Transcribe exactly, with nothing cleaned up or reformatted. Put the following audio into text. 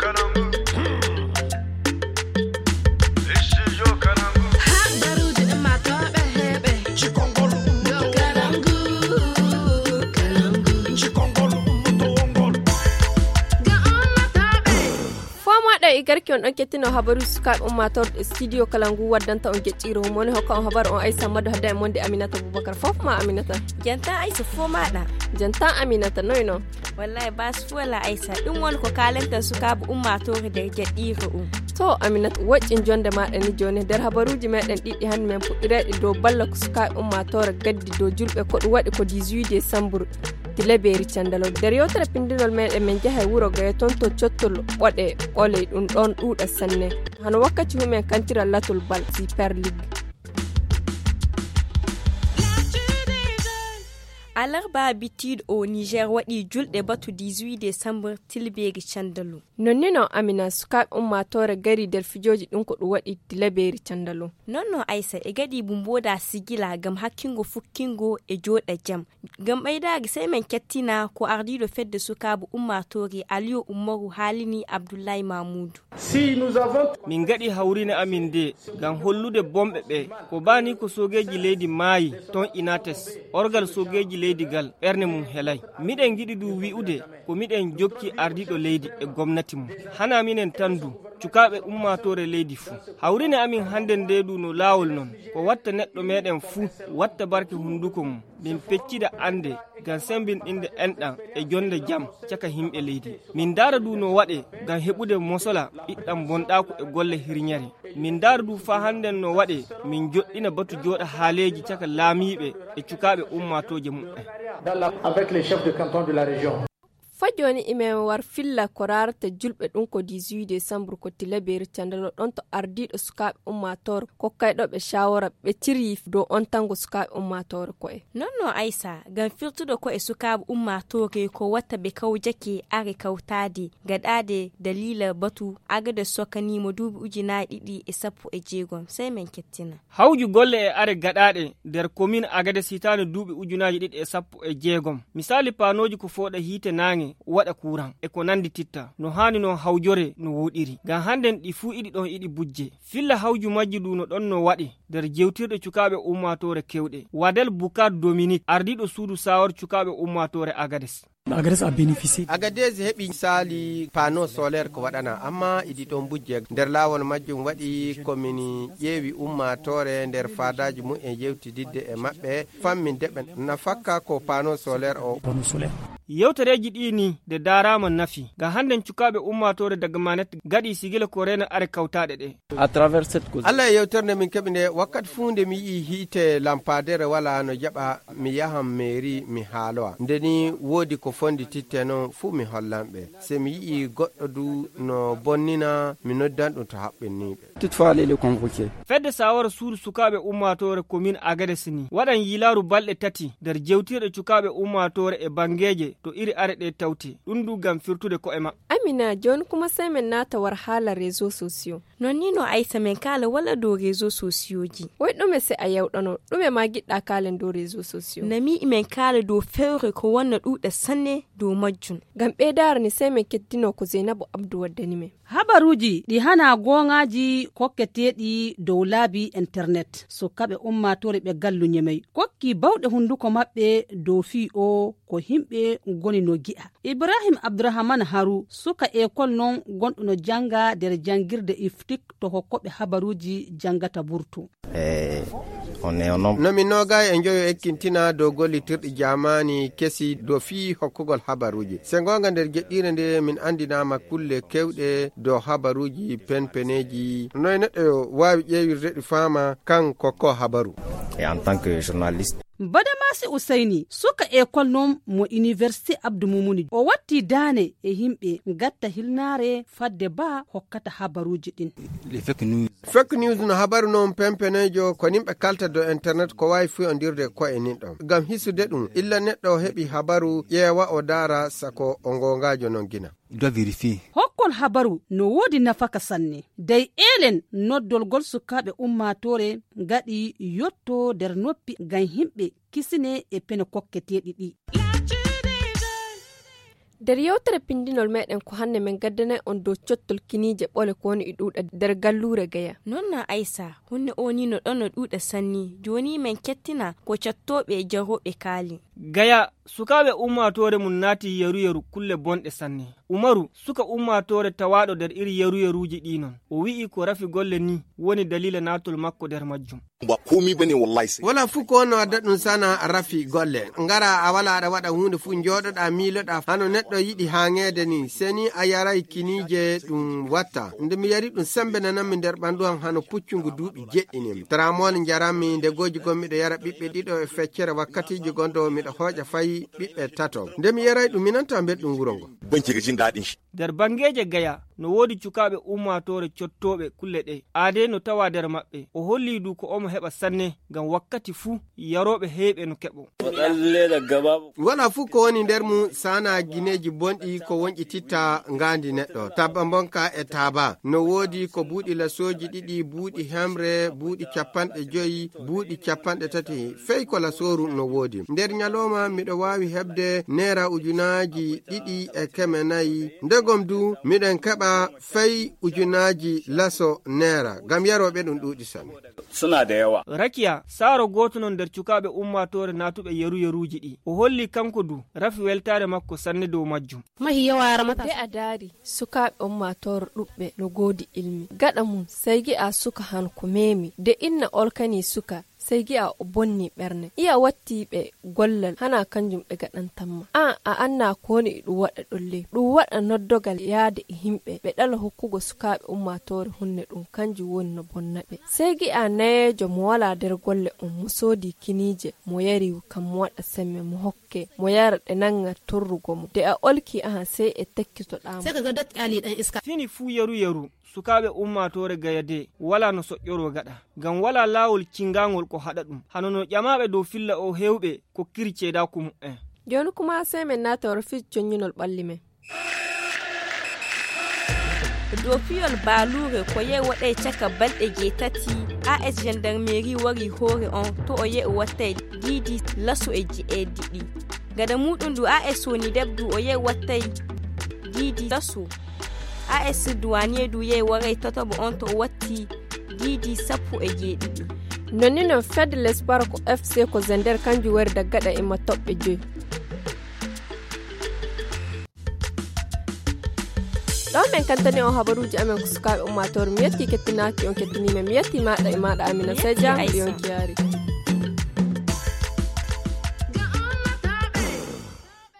Habaruuji ummaatooɓe heɓe. Cikongol ummaatooɓe. Cikongol ummaatooɓe. Fomoɗo e garki on ɗon kettino habaruuji sukaaɓe ummaatooɓe studio kala ngu waddanta on geƴƴiiro mum woni hokka on habaru on aysa madu hadda e monde aminata boubacar fof ma aminata. Janta aysa fof maɗa. Janta aminata noy non. Wallahi bas fuu wala aysa ɗum woni ko kalanten sukaaɓe ummaatoore nder jaɗɗiire um. To aminata woƴƴin jonde maɗa ni joni nder habaruuji meɗen ɗiɗi hannde men puɗɗirayɗe dow balla ko sukaaɓe ummaatoore gaddi dow julɓe ko ɗum waɗi ko dix-huit décembre. Ti lebeeri candalo nder yewtere pindinol meɗen min njaha e wuro gaya toon to cottol ɓoɗe ɓoley ɗum ɗon ɗuuɗa sanne. Hano wakkati humen kantira latol bal super ligue. Alarba bittiiɗo o niger waɗi julɗe batu dix-huit décembre tilbeeri candalu. Nonnino amina sukaaɓe ummaatoore gari nder fijooji ɗum ko ɗum waɗi tilabeeri candalu. Nonno aysa e gaɗi bu mbooda sigila ngam hakkingo fukkingo e jooɗa jam. Ngam ɓeydaari sey men kettina ko ardiiɗo fedde sukaaɓe ummaatoore aliyo ummaru haalini abdullahi mamuudu. Min ngaɗi hawrine amin nde ngam hollude bomɓe ɓe ko bani ko soogeeji leydi maayi ton inates orgal soogeeji leydi gal ɓernde mum helay. Miɗen ngiɗi du wi'ude ko miɗen jokki ardiiɗo leydi e gomnati mum. Hana minen tan du cukaaɓe ummaatoore leydi fuu. Hawrine amin hannden nde du no laawol non ko watta neɗɗo meɗen fuu watta barke hunnduko mum. Min peccida annde ngam semmbinɗinde enɗam e jonnde jam caka yimɓe leydi. Min ndaara du no waɗe ngam heɓude mosola ɓiɗɗam bonɗaaku e golle hirñere. Min ndaara du faa hannden no waɗe min joɗɗina batu jooɗa haaleeji caka laamiiɓe e cukaaɓe ummaatooje muɓɓen. Fa jooni imen war filla ko raarata julɓe ɗum ko dix-huit décembre ko tilabeeri candalo ɗon to ardiiɗo sukaaɓe ummaatoore kokkayɗo ɓe shawara ɓe ciryi dow ontanngo sukaaɓe ummaatoore ko'e. Nonno aysa ngam firtude ko'e sukaaɓe ummaatoore ko watta ɓe kawjake are kawtaade gaɗaade daliila batu agade sokkaniima duuɓi ujunaaji ɗiɗi e sappo e jeegom sey men kettina. Hawju golle e are gaɗaaɗe nder komin agades hitaande duuɓi ujunaaji ɗiɗi e sappo e jeegom. Misaali paanooji ko fooɗa hiite naange waɗa kuuran e ko nanndi titta no haani noon hawjore no wooɗiri ngam hannden ɗi fuu iɗi ɗon iɗi bujje. Filla hawju majji du no ɗon no waɗe nder jewtirɗe cukaaɓe ummaatoore kewɗe wadel bukar dominik ardiiɗo suudu saawar cukaaɓe ummaatoore agades. Agadez heɓi saali pano solaire ko waɗana amma idi ɗon bujje nder laawol majjum waɗi ko min ƴeewi ummaatoore nder faadaaji mum en yewtididde e maɓɓe fammin deɓe nafakka ko pano solaire o. Yewtereeji ɗi ni nde daaraama nafi ngam hannden cukaaɓe ummaatoore daga manet gaɗi sigila ko reena are kawtaaɗe ɗe. Allah e yewtere nde min keɓi nde wakkati fuu nde mi yi'i hiite lampaadere wala no jaɓa mi yahan meeri mi haalowa nde ni woodi ko fondi titte noon fuu mi hollan ɓe se mi yi'i goɗɗo du no bonnina mi noddan ɗum to haɓɓinniiɓe. Fedde sawara suudu sukaaɓe ummaatoore komin agades ni waɗan yilaaru balɗe tati nder jewtirɗe cukaaɓe ummaatoore e banngeeje to iri are ɗe tawte ɗum du ngam firtude ko'e maɓɓe. Amina jooni kuma sey men naata war haala réseau sociaux. Non ni no aysa men kaala walla dow réseau sociaux ji. Woy ɗume se a yewɗano ɗume ma giɗɗa kaalen dow réseau sociaux. Nami men kaala dow fewre ko wonna ɗuuɗa sanne dow majjum. Ngam ɓeydaare ni sey men kettino ko zeynabu abdu waddani men. Habaruuji ɗi hanaa gooŋaaji kokketeeɗi dow laabi internet sukaaɓe ummaatoore ɓe gallu ñemey kokki bawɗe hunnduko maɓɓe dow fii o ko yimɓe ngoni no gi'a. Ibrahim abdurahman haru suka ekol noon gonɗo no jannga nder janngirde iftik to hokkooɓe habaruuji janngata burtu. No min noogaayi e njoyo ekkintina dow gollitirɗi jaamaani kesi dow fii hokkugol habaruuji se ngoonga nder jeɗɗiire nde min anndinaama kulle keewɗe dow habaruuji penpeneeji noy neɗɗo waawi ƴeewirde ɗi faama kan kokko habaru. E en tant que journaliste. Badamasi usayni suka ekol noon mo iniwersite abdu mumuni o watti daane e yimɓe gatta hilnaare fadde ba hokkata habaruuji ɗin. Fake news no habaru noon pempeneejo ko nimɓe kalta dow internet ko waawi fuyandirde ko e nin ɗon ngam hisude ɗum illa neɗɗo heɓi habaru ƴeewa o daara sako o ngoongaajo noon gina. Hokkol habaru no woodi nafaka sanne dey eelen noddolgol sukaaɓe ummaatoore ngaɗi yotto nder noppi ngam yimɓe kisine e pene kokketeeɗi ɗi. Nder yewtere pinndinol meɗen ko hannde men gaddanay on dow cottol kiniije ɓole ko woni e ɗuuɗa nder galluure Gaya. Noon na Aysa, hunde o ni no ɗon no ɗuuɗa sanni. Jooni men kettina ko cattooɓe e jarooɓe kaali. Gaya, sukaaɓe ummaatoore mum naati yaru-yaru kulle bonɗe sanne. Umaru, suka ummaatoore tawaaɗo nder iri yaru-yaruuji ɗi noon. O wi'i ko rafi golle ni woni daliila naatol makko nder majjum. Ba komi bane wallahi sai. Wala fu ko no adda ɗum sana rafi golle. Ngara a wala aɗa waɗa huunde fu njooɗoɗa miiloɗa hano neɗɗo yiɗi haaŋeede ni. Seni a yaray kiniije ɗum watta. Nde mi yari ɗum sembe nananmi nder ɓandu am hano puccungu duuɓi jeɗɗi ni. Tramol njaranmi nde gooji gon miɗo yara ɓiɓɓe ɗiɗo e feccere wakkatiiji gondo miɗo hooƴa fay ɓiɓɓe tato. Nde mi yaray ɗum minanta mbeɗ ɗum wuro ngo. Banki ga jin daɗin shi. Nder banngeeje Gaya, no woodi cukaaɓe ummaatoore cottooɓe kulle ɗe. Aadee no tawaa nder maɓɓe. O hollii du ko omo heɓa sanne, ngam wakkati fuu yarooɓe heewɓe no keɓo. Wala fuu ko woni nder mum saanaa gineeji bonɗi ko wonƴititta ngaandi neɗɗo. Tabba mbonka e taaba. No woodi ko buuɗi lasooji ɗiɗi, buuɗi hemre, buuɗi capanɗe joyi, buuɗi capanɗe tati. Fey ko lasooru no woodi. Nder nyalooma miɗo waawi heɓde neera ujunaaji ɗiɗi e keme nayi. Ndegom du, miɗen keɓa fey ujunaaji laso neera, ngam yarooɓe ɗum ɗuuɗi sanne. Suna da yawa. Rakiya, saaro gooto non nder cukaaɓe ummaatoore naatuɓe yaru-yaruuji ɗi. O holli kanko du, rafi weltaare makko sanne dow majjum. Mahi yawa ramata. Nde a daari, sukaaɓe ummaatoore ɗuɓɓe no goodi ilmi. Gaɗa mum, sey gi'a suka han ko meemi. Nde inna olkani suka, sey gi'a o bonni ɓernde. Iya watti ɓe gollal, hana kanjum ɓe gaɗantamma. An, a anna ko woni e ɗum waɗa ɗon ley. Ɗum waɗa noddogal yaade e himɓe, ɓe ɗala hokkugo sukaaɓe ummaatoore hunne ɗum, kanjum woni no bonna ɓe. Sey gi'a nayeejo mo walaa nder golle on, mo soodi kiniije, mo yari kam mo waɗa semme, mo hokke, mo yara ɗe nanga torrugo mo. Nde a olki ahan, sey e tekkitoɗaa mo. Sai ka ga datti ali ɗan iska. Fini fuu yaru-yaru, sukaaɓe ummaatoore Gaya de walaa no soƴƴoroo gaɗa, ngam walaa laawol cingaangol ko haɗa ɗum. Hano no ƴamaaɓe dow filla o heewɓe kokkiri ceedaaku mu'en. Jooni kuma sey men naata wara fii coññinol ɓalli men. Dow piyol baaluure ko yehi waɗay caka balɗe jeetati, A S gendarmerie wari hoore on to o yehi wattay diidi laso e je'eɗiɗi. Gada muuɗum ɗum A S woni debdu o yehi wattay diidi laso. A S douanier du yehi waray tataɓo on to o watti diidi sappo e jeeɗiɗi. Nonni non fedde Lesbara ko F C ko Zender kanjum wari daggaɗa e ma toɓɓe joyi. Ɗo men kantani on habaruuji amen ko sukaaɓe ummaatoore. Mi yetti kettinaaki on kettiniima. Mi yetti maaɗa e maaɗa Amina Seja. Yonki yaari.